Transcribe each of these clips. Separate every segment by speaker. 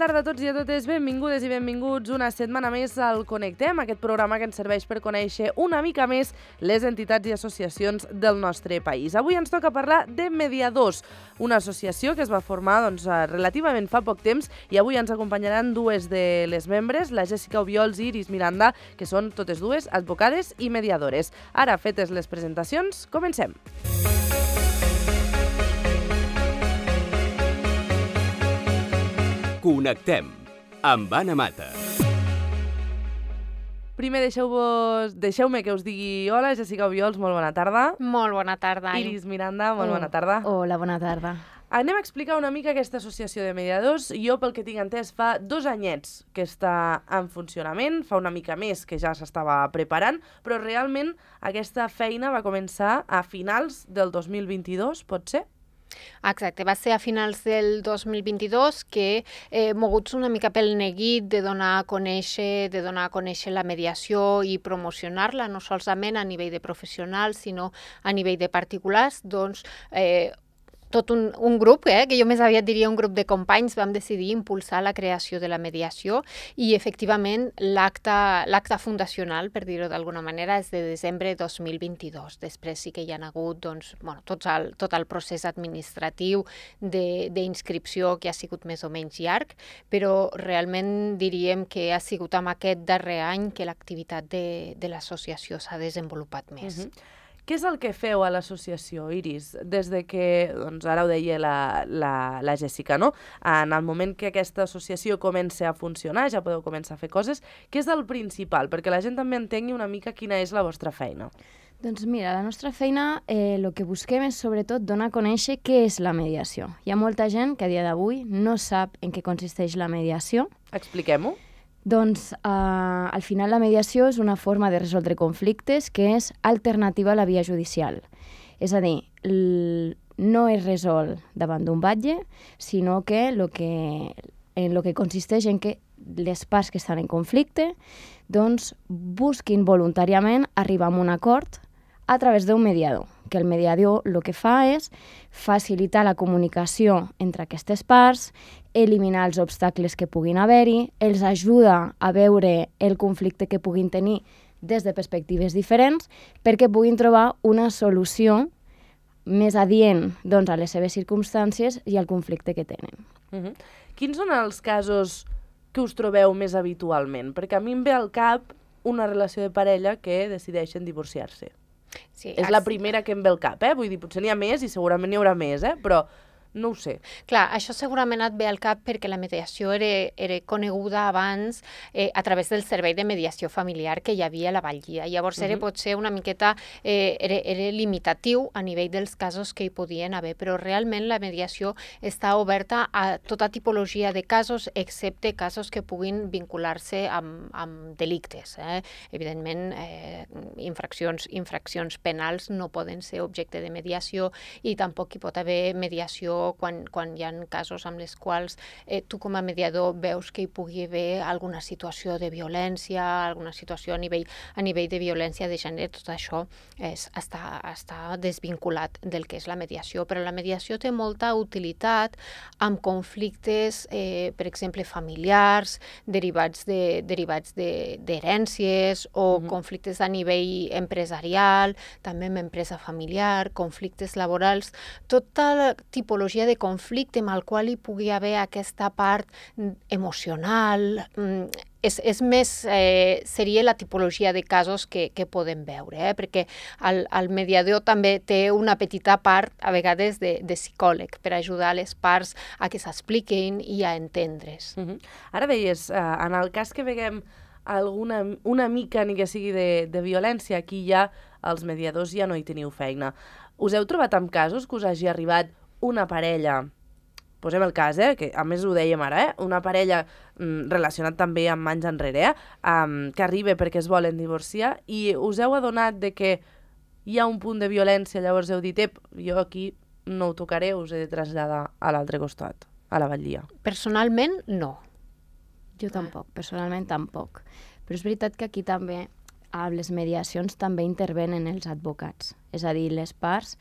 Speaker 1: tarda a tots i a totes, benvingudes i benvinguts una setmana més al Connectem, aquest programa que ens serveix per conèixer una mica més les entitats i associacions del nostre país. Avui ens toca parlar de Mediadors, una associació que es va formar relativament fa poc temps i avui ens acompanyaran dues de les membres, la Jessica Obiols i Iris Miranda, que són totes dues advocades i mediadores. Ara, fetes les presentacions, comencem.
Speaker 2: Connectem amb Anna Mata.
Speaker 1: Primer deixeu-me que us digui hola, Jessica Obiols, molt bona tarda.
Speaker 3: Molt bona tarda.
Speaker 1: Iris Miranda, molt bona tarda.
Speaker 4: Hola, bona tarda.
Speaker 1: Anem a explicar una mica aquesta associació de mediadors. Jo, pel que tinc entès, fa 2 anyets que està en funcionament, fa una mica més que ja s'estava preparant, però realment aquesta feina va començar a finals del 2022, pot ser?
Speaker 3: Exacte, va ser a finals del 2022 que, moguts una mica pel neguit de donar a conèixer la mediació i promocionar-la, no solament a nivell de professionals, sinó a nivell de particulars, doncs tot un grup, que jo més aviat diria un grup de companys, vam decidir impulsar la creació de la mediació i efectivament l'acte fundacional, per dir-ho d'alguna manera, és de desembre de 2022. Després sí que hi ha hagut tot el procés administratiu d'inscripció que ha sigut més o menys llarg, però realment diríem que ha sigut amb aquest darrer any que l'activitat de l'associació s'ha desenvolupat més.
Speaker 1: Què és el que feu a l'associació, Iris? Des de que, doncs ara ho deia la Jessica, no? En el moment que aquesta associació comença a funcionar, ja podeu començar a fer coses, què és el principal? Perquè la gent també entengui una mica quina és la vostra feina.
Speaker 4: Doncs mira, la nostra feina, el que busquem és sobretot donar a conèixer què és la mediació. Hi ha molta gent que a dia d'avui no sap en què consisteix la mediació.
Speaker 1: Expliquem-ho.
Speaker 4: Doncs al final la mediació és una forma de resoldre conflictes que és alternativa a la via judicial. És a dir, no es resol davant d'un batlle, sinó que en lo que consisteix en que les parts que estan en conflicte doncs, busquin voluntàriament arribar a un acord a través d'un mediador, que el mediador el que fa és facilitar la comunicació entre aquestes parts, eliminar els obstacles que puguin haver-hi, els ajuda a veure el conflicte que puguin tenir des de perspectives diferents perquè puguin trobar una solució més adient a les seves circumstàncies i al conflicte que tenen.
Speaker 1: Quins són els casos que us trobeu més habitualment? Perquè a mi em ve al cap una relació de parella que decideixen divorciar-se.
Speaker 3: Sí,
Speaker 1: és la primera que em ve al cap, Vull dir, potser n'hi ha més i segurament n'hi haurà més, però no ho sé.
Speaker 3: Clar, això segurament et ve al cap perquè la mediació era coneguda abans a través del servei de mediació familiar que hi havia a la Batllia. Llavors era potser una miqueta era limitatiu a nivell dels casos que hi podien haver, però realment la mediació està oberta a tota tipologia de casos, excepte casos que puguin vincular-se amb delictes. Evidentment, infraccions penals no poden ser objecte de mediació i tampoc hi pot haver mediació quan hi ha casos amb els quals tu com a mediador veus que hi pugui haver alguna situació de violència, alguna situació a nivell de violència de gènere, tot això està desvinculat del que és la mediació. Però la mediació té molta utilitat amb conflictes, per exemple, familiars, derivats d'herències o conflictes a nivell empresarial, també amb empresa familiar, conflictes laborals, tota la tipologia de conflicte amb el qual hi pugui haver aquesta part emocional, seria la tipologia de casos que podem veure, perquè el mediador també té una petita part, a vegades, de psicòleg, per ajudar les parts a que s'expliquin i a entendre's.
Speaker 1: Ara deies, en el cas que veiem una mica, ni que sigui de violència, aquí ja els mediadors ja no hi teniu feina. Us heu trobat amb casos que us hagi arribat una parella, posem el cas, que a més ho dèiem ara, una parella relacionat també amb anys enrere, que arriba perquè es volen divorciar i us heu adonat de que hi ha un punt de violència, llavors heu dit, jo aquí no ho tocaré, us he de traslladar a l'altre costat, a la Batllia.
Speaker 3: Personalment, no.
Speaker 4: Jo tampoc, personalment tampoc. Però és veritat que aquí també, a les mediacions, també intervenen els advocats. És a dir, les parts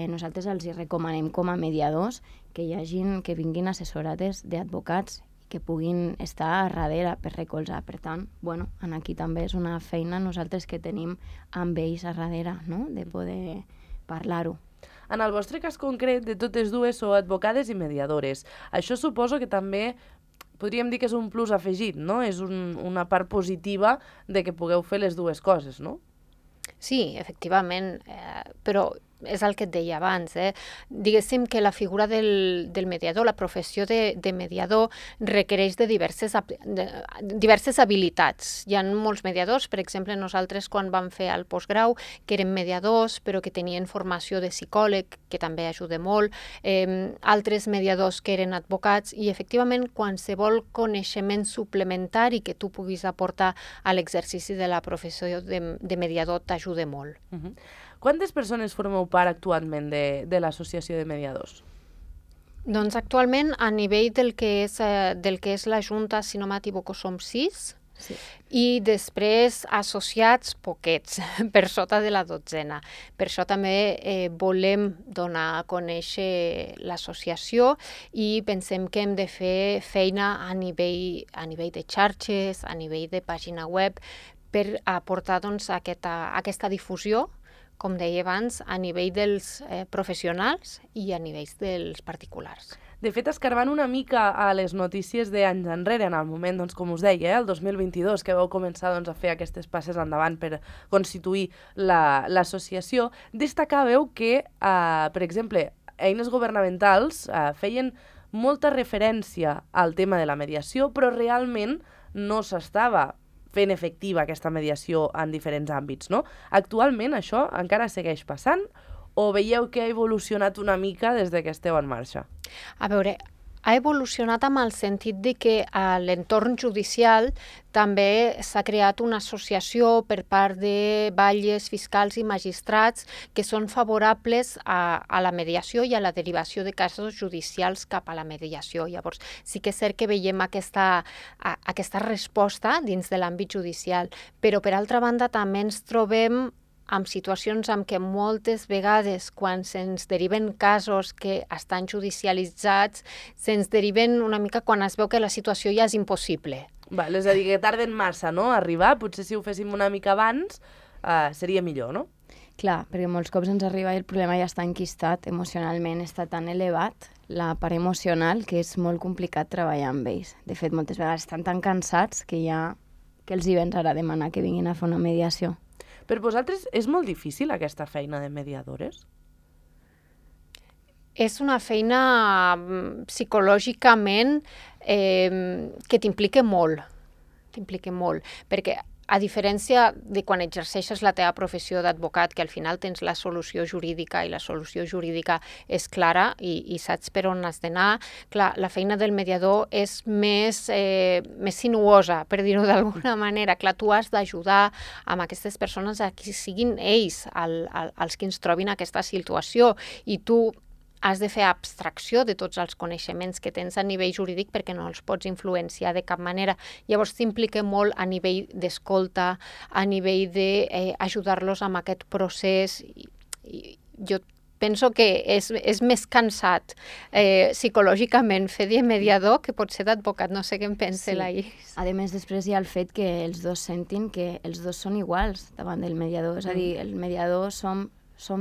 Speaker 4: nosaltres els recomanem com a mediadors que vinguin assessorades d'advocats que puguin estar a darrere per recolzar. Per tant, bueno, aquí també és una feina nosaltres que tenim amb ells a darrere, no? De poder parlar-ho.
Speaker 1: En el vostre cas concret, de totes dues sou advocades i mediadores. Això suposo que també podríem dir que és un plus afegit, no? És una part positiva de que pugueu fer les dues coses, no?
Speaker 3: Sí, efectivament, però és el que et deia abans. Diguéssim que la figura del mediador, la professió de mediador, requereix de diverses habilitats. Hi ha molts mediadors, per exemple, nosaltres quan vam fer el postgrau, que eren mediadors, però que tenien formació de psicòleg, que també ajuda molt, altres mediadors que eren advocats, i efectivament qualsevol coneixement suplementari que tu puguis aportar a l'exercici de la professió de mediador t'ajuda molt.
Speaker 1: Quantes persones formeu part actualment de l'Associació de Mediadors?
Speaker 3: Doncs actualment, a nivell del que és la Junta, si no m'equivoco, som 6, sí. I després associats poquets, per sota de la 12. Per això també volem donar a conèixer l'associació i pensem que hem de fer feina a nivell de xarxes, a nivell de pàgina web, per aportar doncs, aquesta difusió, com deia abans, a nivell dels professionals i a nivell dels particulars.
Speaker 1: De fet, escarbant una mica a les notícies d'anys enrere, en el moment, doncs, com us deia, el 2022, que vau començar doncs, a fer aquestes passes endavant per constituir l'associació, destacàveu que, per exemple, eines governamentals feien molta referència al tema de la mediació, però realment no s'estava fent efectiva aquesta mediació en diferents àmbits, no? Actualment això encara segueix passant o veieu que ha evolucionat una mica des que esteu en marxa?
Speaker 3: A veure, ha evolucionat amb el sentit de que a l'entorn judicial també s'ha creat una associació per part de batlles, fiscals i magistrats que són favorables a la mediació i a la derivació de casos judicials cap a la mediació. Llavors, sí que és cert que veiem aquesta resposta dins de l'àmbit judicial, però per altra banda també ens trobem amb situacions en què moltes vegades, quan se'ns deriven casos que estan judicialitzats, se'ns deriven una mica quan es veu que la situació ja és impossible.
Speaker 1: És a dir, que tarden massa, no?, a arribar. Potser si ho féssim una mica abans seria millor, no?
Speaker 4: Clar, perquè molts cops ens arriba i el problema ja està enquistat, emocionalment està tan elevat, la part emocional, que és molt complicat treballar amb ells. De fet, moltes vegades estan tan cansats que els hi vens ara a demanar que vinguin a fer una mediació.
Speaker 1: Per vosaltres és molt difícil aquesta feina de mediadores?
Speaker 3: És una feina psicològicament que t'implica molt, perquè a diferència de quan exerceixes la teva professió d'advocat, que al final tens la solució jurídica i la solució jurídica és clara i saps per on has d'anar, clar, la feina del mediador és més sinuosa, per dir-ho d'alguna manera. Clar, tu has d'ajudar amb aquestes persones a que siguin ells els que ens trobin aquesta situació i tu has de fer abstracció de tots els coneixements que tens a nivell jurídic perquè no els pots influenciar de cap manera. Llavors t'implica molt a nivell d'escolta, a nivell d'ajudar-los amb aquest procés. Jo penso que és més cansat psicològicament fer de mediador que pot ser d'advocat. No sé què en pensa la Iris.
Speaker 4: A més, després hi ha el fet que els dos sentin que els dos són iguals davant del mediador. És a dir, el mediador som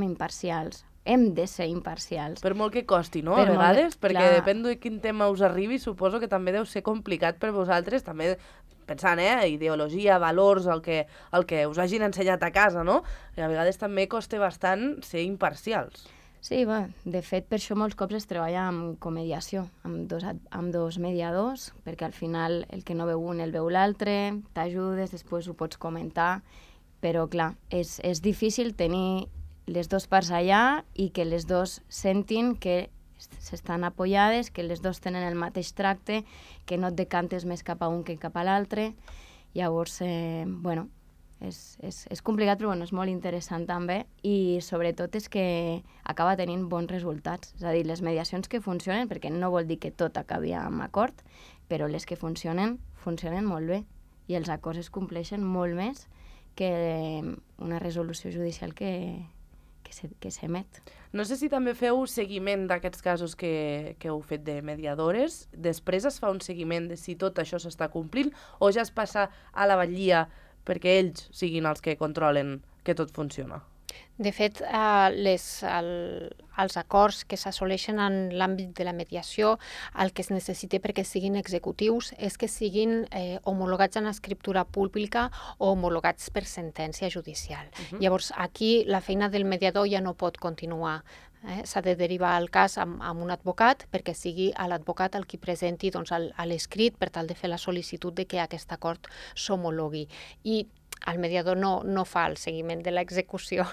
Speaker 4: imparcials. Hem de ser imparcials.
Speaker 1: Per molt que costi, no?, a vegades, perquè depèn de quin tema us arribi, suposo que també deu ser complicat per vosaltres, també pensant, ideologia, valors, el que us hagin ensenyat a casa, no? I a vegades també costa bastant ser imparcials.
Speaker 4: Sí, de fet, per això molts cops es treballa amb comediació, amb dos mediadors, perquè al final el que no veu un el veu l'altre, t'ajudes, després ho pots comentar, però clar, és difícil tenir les dues parts allà i que les dues sentin que s'estan apoyades, que les dues tenen el mateix tracte, que no et decantes més cap a un que cap a l'altre. Llavors, és complicat, però és molt interessant també i sobretot és que acaba tenint bons resultats. És a dir, les mediacions que funcionen, perquè no vol dir que tot acabi amb acord, però les que funcionen molt bé i els acords es compleixen molt més que una resolució judicial que que s'emet.
Speaker 1: No sé si també feu seguiment d'aquests casos que heu fet de mediadores. Després es fa un seguiment de si tot això s'està complint o ja es passa a la batllia perquè ells siguin els que controlen que tot funciona?
Speaker 3: De fet, els acords que s'assoleixen en l'àmbit de la mediació, el que es necessita perquè siguin executius és que siguin homologats en escriptura pública o homologats per sentència judicial. Llavors, aquí la feina del mediador ja no pot continuar. S'ha de derivar el cas amb un advocat perquè sigui l'advocat el qui presenti l'escrit per tal de fer la sol·licitud de que aquest acord s'homologui. I el mediador no fa el seguiment de l'execució.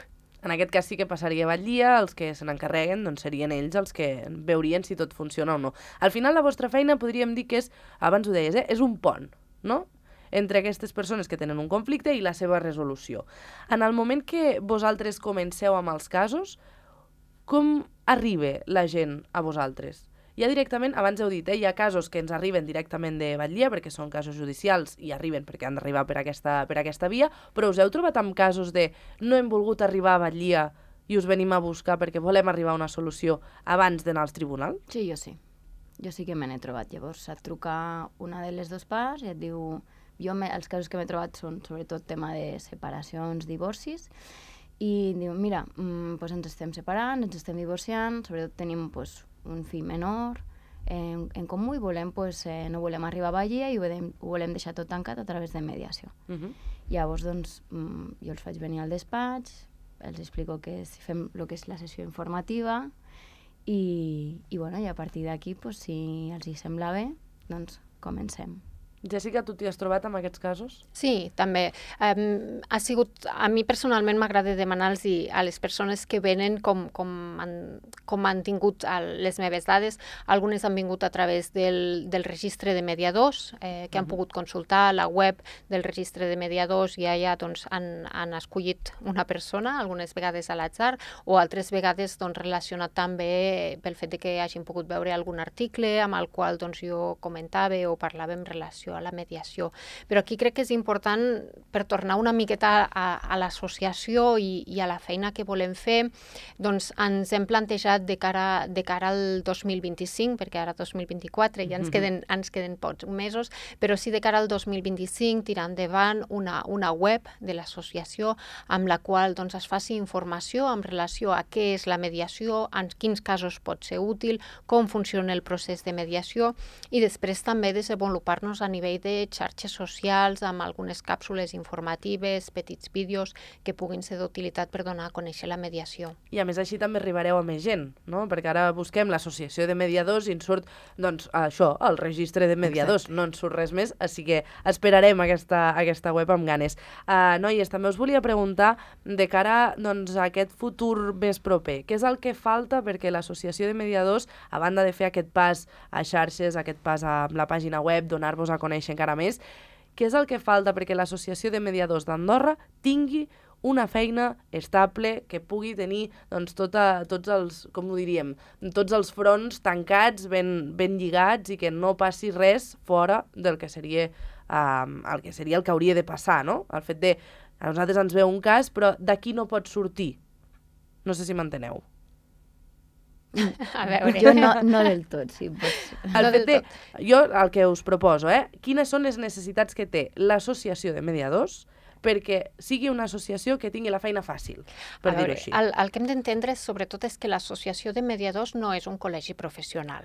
Speaker 1: En aquest cas sí que passaria a batllia, els que se n'encarreguen serien ells els que veurien si tot funciona o no. Al final la vostra feina podríem dir que és, abans ho deies, és un pont, no?, entre aquestes persones que tenen un conflicte i la seva resolució. En el moment que vosaltres comenceu amb els casos, com arriba la gent a vosaltres? Ja directament, abans heu dit, hi ha casos que ens arriben directament de batllia perquè són casos judicials i arriben perquè han d'arribar per aquesta via, però us heu trobat amb casos de no hem volgut arribar a batllia i us venim a buscar perquè volem arribar a una solució abans d'anar als tribunals?
Speaker 4: Sí, jo sí. Jo sí que me n'he trobat. Llavors et truca una de les dues parts i et diu... Els casos que m'he trobat són sobretot tema de separacions, divorcis, i diu, mira, ens estem separant, ens estem divorciant, sobretot tenim un fill menor en comú i no volem arribar a batllia i ho volem deixar tot tancat a través de mediació. Llavors, jo els faig venir al despatx, els explico que fem el que és la sessió informativa i a partir d'aquí, si els hi sembla bé, comencem.
Speaker 1: Jessica, tu t'hi has trobat amb aquests casos?
Speaker 3: Sí, també. A mi personalment m'agrada demanar-los a les persones que venen com han tingut les meves dades. Algunes han vingut a través del registre de mediadors, que han pogut consultar la web del registre de mediadors i allà han escollit una persona, algunes vegades a l'atzar, o altres vegades relacionat també pel fet que hagin pogut veure algun article amb el qual jo comentava o parlava en relació a la mediació. Però aquí crec que és important, per tornar una miqueta a l'associació i a la feina que volem fer, ens hem plantejat de cara al 2025, perquè ara 2024 ja ens queden pocs mesos, però sí de cara al 2025 tirar endavant una web de l'associació amb la qual es faci informació en relació a què és la mediació, en quins casos pot ser útil, com funciona el procés de mediació i després també desenvolupar-nos a nivell de xarxes socials amb algunes càpsules informatives, petits vídeos que puguin ser d'utilitat per donar a conèixer la mediació.
Speaker 1: I a més així també arribareu a més gent, no? Perquè ara busquem l'associació de mediadors i ens surt, això, el registre de mediadors. Exacte. No ens surt res més, així que esperarem aquesta web amb ganes. Noies, també us volia preguntar de cara a aquest futur més proper, què és el que falta perquè l'associació de mediadors, a banda de fer aquest pas a xarxes, aquest pas a la pàgina web, donar-vos a conèixer encara més, què és el que falta perquè l'Associació de Mediadors d'Andorra tingui una feina estable, que pugui tenir tots els fronts tancats, ben lligats i que no passi res fora del que seria el que hauria de passar, no? El fet de, a nosaltres ens ve un cas, però d'aquí no pot sortir. No sé si m'enteneu.
Speaker 3: A veure.
Speaker 4: Jo no del tot, sí.
Speaker 1: Jo el que us proposo, quines són les necessitats que té l'associació de mediadors perquè sigui una associació que tingui la feina fàcil, per dir-ho així.
Speaker 3: El que hem d'entendre sobretot és que l'associació de mediadors no és un col·legi professional.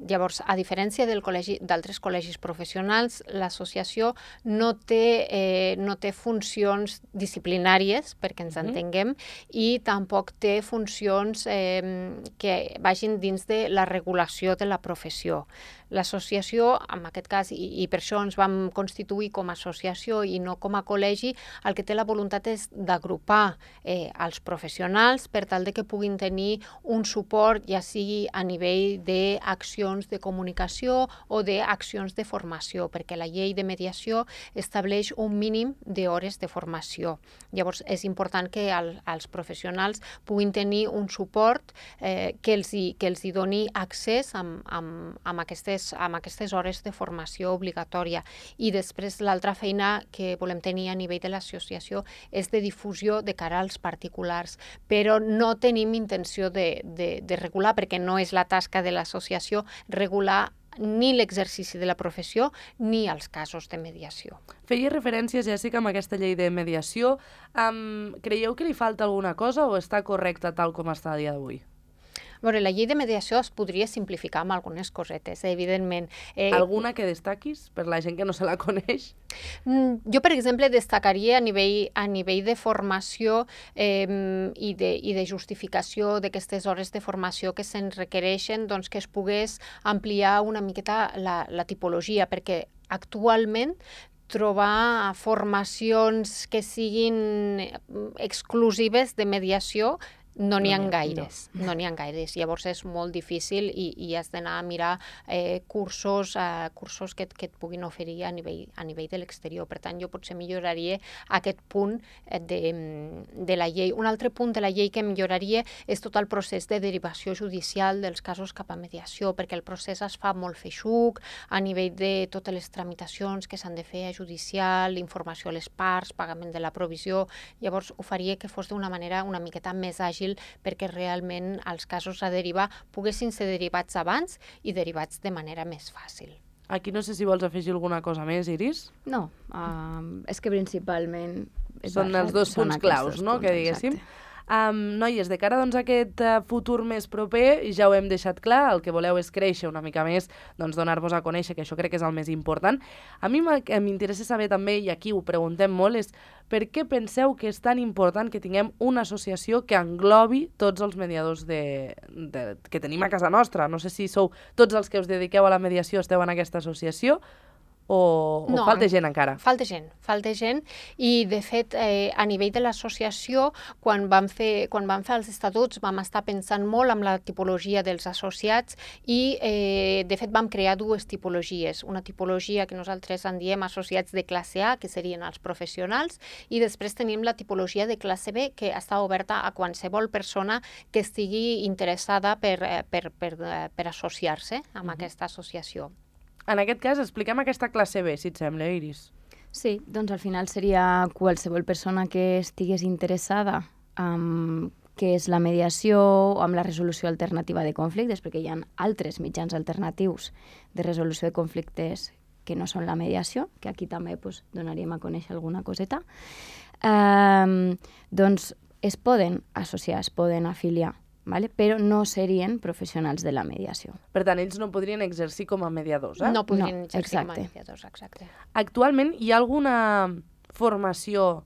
Speaker 3: Llavors, a diferència d'altres col·legis professionals, l'associació no té funcions disciplinàries, perquè ens entenguem, i tampoc té funcions que vagin dins de la regulació de la professió. L'associació, en aquest cas, i per això ens vam constituir com a associació i no com a col·legi, el que té la voluntat és d'agrupar els professionals per tal de que puguin tenir un suport, ja sigui a nivell d'accions d'accions de comunicació o d'accions de formació, perquè la llei de mediació estableix un mínim d'hores de formació. Llavors, és important que els professionals puguin tenir un suport que els hi doni accés amb aquestes hores de formació obligatòria. I després l'altra feina que volem tenir a nivell de l'associació és de difusió de cara als particulars, però no tenim intenció de regular, perquè no és la tasca de l'associació regular ni l'exercici de la professió ni els casos de mediació.
Speaker 1: Feia referència, Jèssica, amb aquesta llei de mediació. Creieu que li falta alguna cosa o està correcta tal com està a dia d'avui?
Speaker 3: A veure, la llei de mediació es podria simplificar amb algunes cosetes, evidentment.
Speaker 1: Alguna que destaquis per la gent que no se la coneix?
Speaker 3: Jo, per exemple, destacaria a nivell de formació i de justificació d'aquestes hores de formació que se'n requereixen, doncs que es pogués ampliar una miqueta la tipologia, perquè actualment trobar formacions que siguin exclusives de mediació no n'hi ha gaires. Llavors és molt difícil i has d'anar a mirar cursos que et puguin oferir a nivell de l'exterior. Per tant, jo potser milloraria aquest punt de la llei. Un altre punt de la llei que milloraria és tot el procés de derivació judicial dels casos cap a mediació, perquè el procés es fa molt feixuc a nivell de totes les tramitacions que s'han de fer a judicial, informació a les parts, pagament de la provisió. Llavors ho faria que fos d'una manera una miqueta més àgil perquè realment els casos a derivar poguessin ser derivats abans i derivats de manera més fàcil.
Speaker 1: Aquí no sé si vols afegir alguna cosa més, Iris?
Speaker 4: No, és que principalment...
Speaker 1: Són els dos punts claus, no?, que diguéssim. Noies, de cara doncs, a aquest futur més proper, ja ho hem deixat clar, el que voleu és créixer una mica més, doncs donar-vos a conèixer, que això crec que és el més important. A mi m'interessa saber també, i aquí ho preguntem molt, és per què penseu que és tan important que tinguem una associació que englobi tots els mediadors que tenim a casa nostra? No sé si sou tots els que us dediqueu a la mediació, esteu en aquesta associació, o falta gent encara?
Speaker 3: Falta gent i de fet a nivell de l'associació quan vam fer els estatuts vam estar pensant molt en la tipologia dels associats i de fet vam crear dues tipologies, una tipologia que nosaltres en diem associats de classe A, que serien els professionals, i després tenim la tipologia de classe B, que està oberta a qualsevol persona que estigui interessada per associar-se amb aquesta associació.
Speaker 1: En aquest cas, expliquem aquesta classe B, si et sembla, Iris.
Speaker 4: Sí, doncs al final seria qualsevol persona que estigués interessada en què és la mediació o amb la resolució alternativa de conflictes, perquè hi ha altres mitjans alternatius de resolució de conflictes que no són la mediació, que aquí també donaríem a conèixer alguna coseta, doncs es poden associar, es poden afiliar, ¿vale? Però no serien professionals de la mediació.
Speaker 1: Per tant, ells no podrien exercir com a mediadors, eh?
Speaker 3: No podrien exercir com a mediadors, exacte.
Speaker 1: Actualment, hi ha alguna formació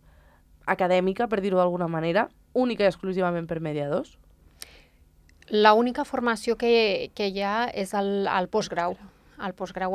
Speaker 1: acadèmica, per dir-ho d'alguna manera, única i exclusivament per mediadors?
Speaker 3: L'única formació que hi ha és el postgrau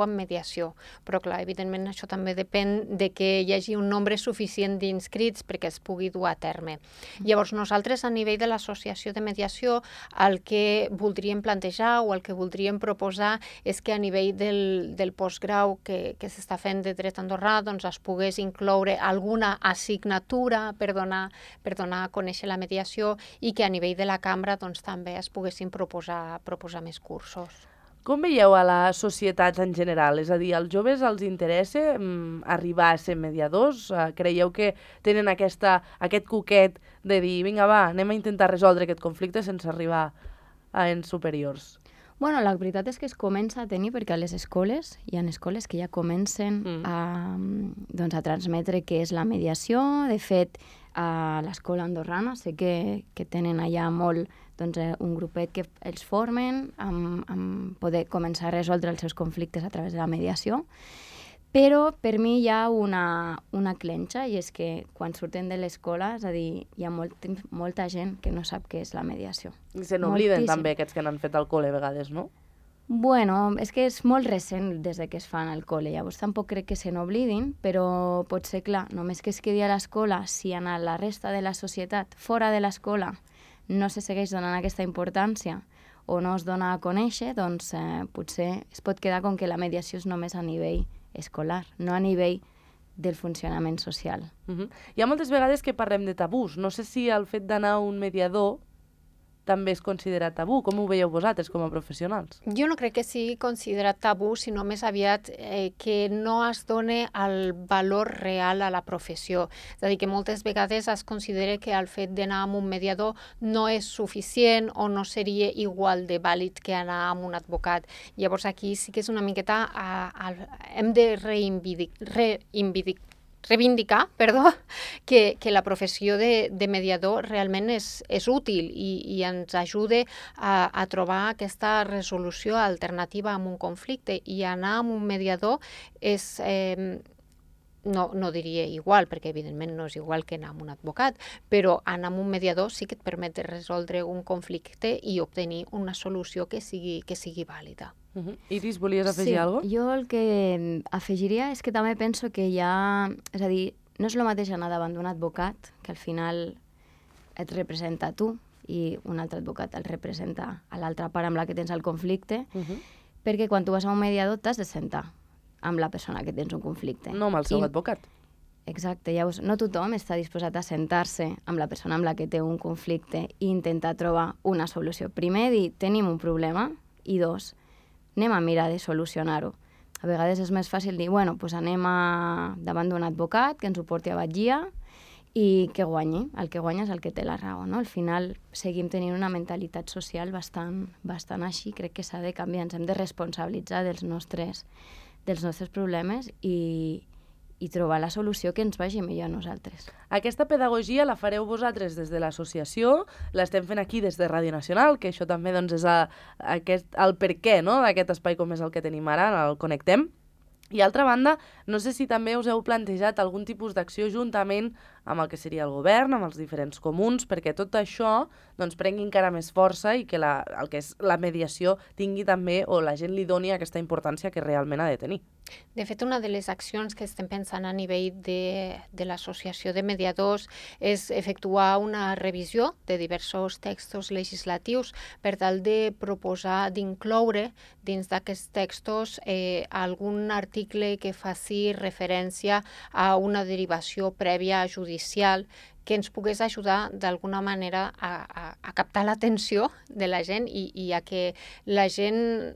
Speaker 3: en mediació. Però, clar, evidentment això també depèn de que hi hagi un nombre suficient d'inscrits perquè es pugui dur a terme. Llavors, nosaltres, a nivell de l'associació de mediació, el que voldríem plantejar o el que voldríem proposar és que a nivell del postgrau que s'està fent de dret andorrà, doncs es pogués incloure alguna assignatura per donar a conèixer la mediació i que a nivell de la cambra doncs, també es poguessin proposar més cursos.
Speaker 1: Com veieu a la societat en general? És a dir, als joves els interessa arribar a ser mediadors? Creieu que tenen aquest coquet de dir, vinga, va, anem a intentar resoldre aquest conflicte sense arribar a ens superiors?
Speaker 4: Bueno, la veritat és que es comença a tenir, perquè a les escoles, hi ha escoles que ja comencen a transmetre què és la mediació. De fet, a l'escola andorrana sé que tenen allà molt un grupet que els formen amb poder començar a resoldre els seus conflictes a través de la mediació. Però per mi hi ha una clenxa, i és que quan surten de l'escola, és a dir, hi ha molta gent que no sap què és la mediació.
Speaker 1: I se n'obliden també aquests que n'han fet al col·le a vegades, no?
Speaker 4: Bueno, és que és molt recent des que es fan al col·le, llavors tampoc crec que se n'oblidin, però pot ser, clar, només que es quedi a l'escola, si en la resta de la societat, fora de l'escola, no se segueix donant aquesta importància o no es dona a conèixer, doncs potser es pot quedar com que la mediació és només a nivell escolar, no a nivell del funcionament social.
Speaker 1: Hi ha moltes vegades que parlem de tabús. No sé si el fet d'anar a un mediador també és considerat tabú. Com ho veieu vosaltres com a professionals?
Speaker 3: Jo no crec que sigui considerat tabú, sinó més aviat que no es doni el valor real a la professió. És a dir, que moltes vegades es considera que el fet d'anar amb un mediador no és suficient o no seria igual de vàlid que anar amb un advocat. Llavors aquí sí que és una miqueta... hem de reivindicar que la professió de mediador realment és útil i ens ajuda a trobar aquesta resolució alternativa a un conflicte, i anar amb un mediador és... No diria igual, perquè evidentment no és igual que anar amb un advocat, però anar amb un mediador sí que et permet resoldre un conflicte i obtenir una solució que sigui vàlida.
Speaker 1: Iris, volies afegir alguna cosa?
Speaker 4: Jo el que afegiria és que també penso que hi ha... És a dir, no és el mateix anar davant d'un advocat, que al final et representa a tu, i un altre advocat el representa a l'altra part amb la que tens el conflicte, perquè quan tu vas a un mediador t'has de sentar amb la persona que tens un conflicte.
Speaker 1: No amb el seu advocat.
Speaker 4: Exacte, llavors no tothom està disposat a sentar-se amb la persona amb la que té un conflicte i intentar trobar una solució. Primer, dir, tenim un problema, i dos, anem a mirar de solucionar-ho. A vegades és més fàcil dir, bueno, doncs anem davant d'un advocat que ens ho porti a batllia i que guanyi. El que guanya és el que té la raó, no? Al final seguim tenint una mentalitat social bastant així. Crec que s'ha de canviar, ens hem de responsabilitzar dels nostres problemes i trobar la solució que ens vagi millor a nosaltres.
Speaker 1: Aquesta pedagogia la fareu vosaltres des de l'associació, l'estem fent aquí des de Ràdio Nacional, que això també doncs, és el perquè, no?, d'aquest espai com és el que tenim ara, el Connectem. I, altra banda, no sé si també us heu plantejat algun tipus d'acció juntament amb el que seria el govern, amb els diferents comuns, perquè tot això doncs, prengui encara més força i que el que és la mediació tingui també, o la gent li doni aquesta importància que realment ha de tenir.
Speaker 3: De fet, una de les accions que estem pensant a nivell de l'Associació de Mediadors és efectuar una revisió de diversos textos legislatius per tal de proposar d'incloure dins d'aquests textos algun article que faci referència a una derivació prèvia judicial que ens pogués ajudar d'alguna manera a captar l'atenció de la gent i a que la gent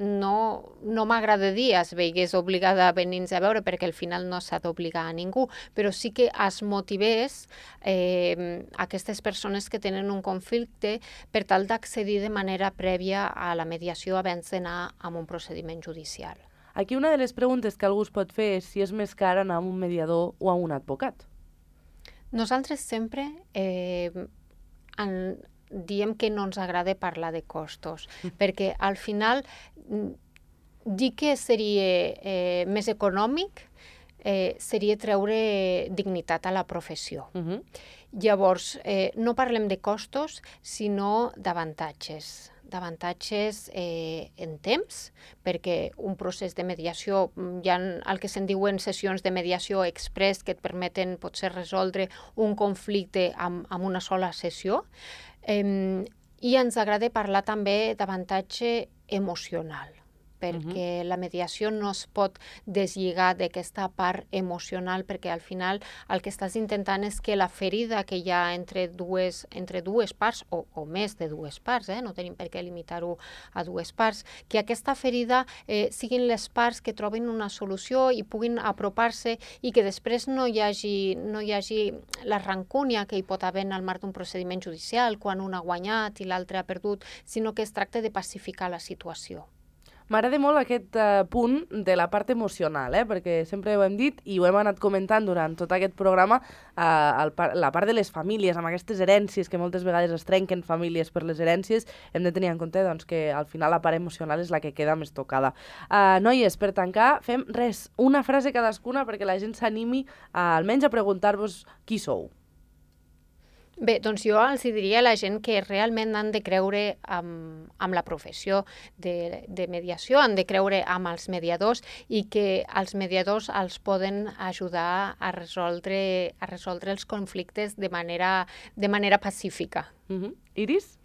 Speaker 3: no m'agrada dir es veigués obligada a venir-nos a veure, perquè al final no s'ha d'obligar a ningú, però sí que es motivés aquestes persones que tenen un conflicte per tal d'accedir de manera prèvia a la mediació abans d'anar a un procediment judicial.
Speaker 1: Aquí una de les preguntes que algú es pot fer és si és més car anar a un mediador o a un advocat.
Speaker 3: Nosaltres sempre diem que no ens agrada parlar de costos, perquè al final dir que seria més econòmic seria treure dignitat a la professió. Llavors, no parlem de costos, sinó d'avantatges. D'avantatges en temps, perquè un procés de mediació, hi ha el que se'n diuen sessions de mediació express que et permeten potser resoldre un conflicte amb una sola sessió, i ens agrada parlar també d'avantatge emocional, perquè la mediació no es pot deslligar d'aquesta part emocional, perquè al final el que estàs intentant és que la ferida que hi ha entre dues parts, o més de dues parts, no tenim per què limitar-ho a dues parts, que aquesta ferida siguin les parts que trobin una solució i puguin apropar-se i que després no hi hagi la rancúnia que hi pot haver en el marc d'un procediment judicial quan un ha guanyat i l'altre ha perdut, sinó que es tracta de pacificar la situació.
Speaker 1: M'agrada molt aquest punt de la part emocional, perquè sempre ho hem dit i ho hem anat comentant durant tot aquest programa, la part de les famílies, amb aquestes herències que moltes vegades es trenquen famílies per les herències, hem de tenir en compte doncs, que al final la part emocional és la que queda més tocada. Noies, per tancar, fem una frase cadascuna perquè la gent s'animi almenys a preguntar-vos qui sou.
Speaker 3: Bé, doncs jo els diria a la gent que realment han de creure amb la professió de mediació, han de creure amb els mediadors i que els mediadors els poden ajudar a resoldre els conflictes de manera pacífica.
Speaker 1: Iris?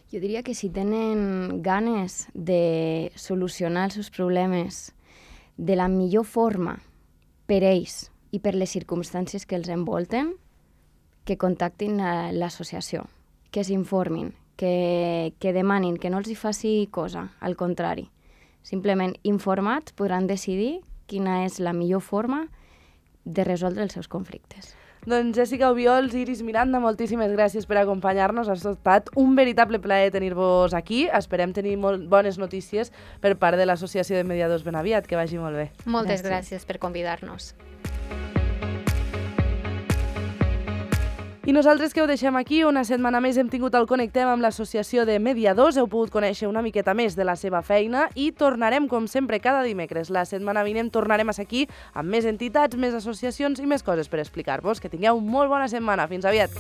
Speaker 4: Jo diria que si tenen ganes de solucionar els seus problemes de la millor forma per ells i per les circumstàncies que els envolten, que contactin l'associació, que s'informin, que demanin, que no els hi faci cosa, al contrari. Simplement informats podran decidir quina és la millor forma de resoldre els seus conflictes.
Speaker 1: Doncs Jessica Obiols, Iris Miranda, moltíssimes gràcies per acompanyar-nos. Ha estat un veritable plaer tenir-vos aquí. Esperem tenir molt bones notícies per part de l'Associació de Mediadors ben aviat. Que vagi molt bé.
Speaker 3: Moltes gràcies per convidar-nos.
Speaker 1: I nosaltres que ho deixem aquí, una setmana més hem tingut el Connectem amb l'Associació de Mediadors, heu pogut conèixer una miqueta més de la seva feina i tornarem, com sempre, cada dimecres. La setmana vinent tornarem a ser aquí amb més entitats, més associacions i més coses per explicar-vos. Que tingueu molt bona setmana. Fins aviat!